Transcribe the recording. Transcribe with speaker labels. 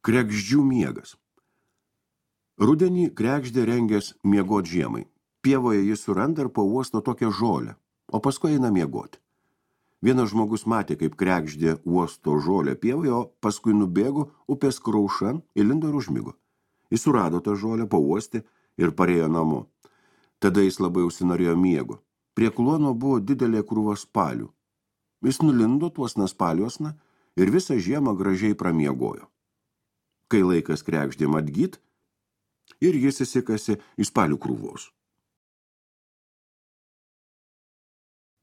Speaker 1: Kregždžių miegas. Rudenį kregždė rengės miegot žiemai. Pievoje jis suranda ir pauosto tokią žolę, o paskui eina miegoti. Vienas žmogus matė, kaip kregždė uosto žolę pievoje, o paskui nubėgo upės kraušan, įlindo ir užmigo. Jis surado tą žolę, pauostė ir parėjo namo. Tada jis labai užsinorėjo miego. Prie kluono buvo didelė krūva spalių. Jis nulindo tuosna spaliuosna ir visą žiemą gražiai pramiegojo. Kai laikas kregždėm atgyt, ir jis įsikasė į spalių krūvos.